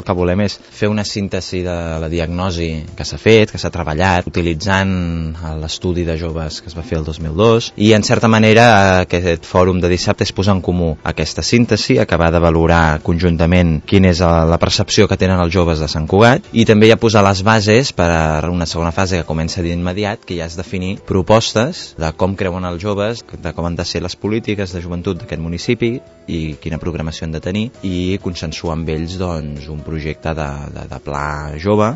El que volem és fer una síntesi de la diagnosi que s'ha fet, que s'ha treballat, utilitzant l'estudi de joves que es va fer el 2002, i en certa manera aquest fòrum de dissabte és posar en comú aquesta síntesi, acabar de valorar conjuntament quina és la percepció que tenen els joves de Sant Cugat, i també ja posar les bases per a una segona fase que comença d'immediat, que ja és definir propostes de com creuen els joves, de com han de ser les polítiques de joventut d'aquest municipi i quina programació han de tenir, i consensuar amb ells doncs, un projecte de pla jove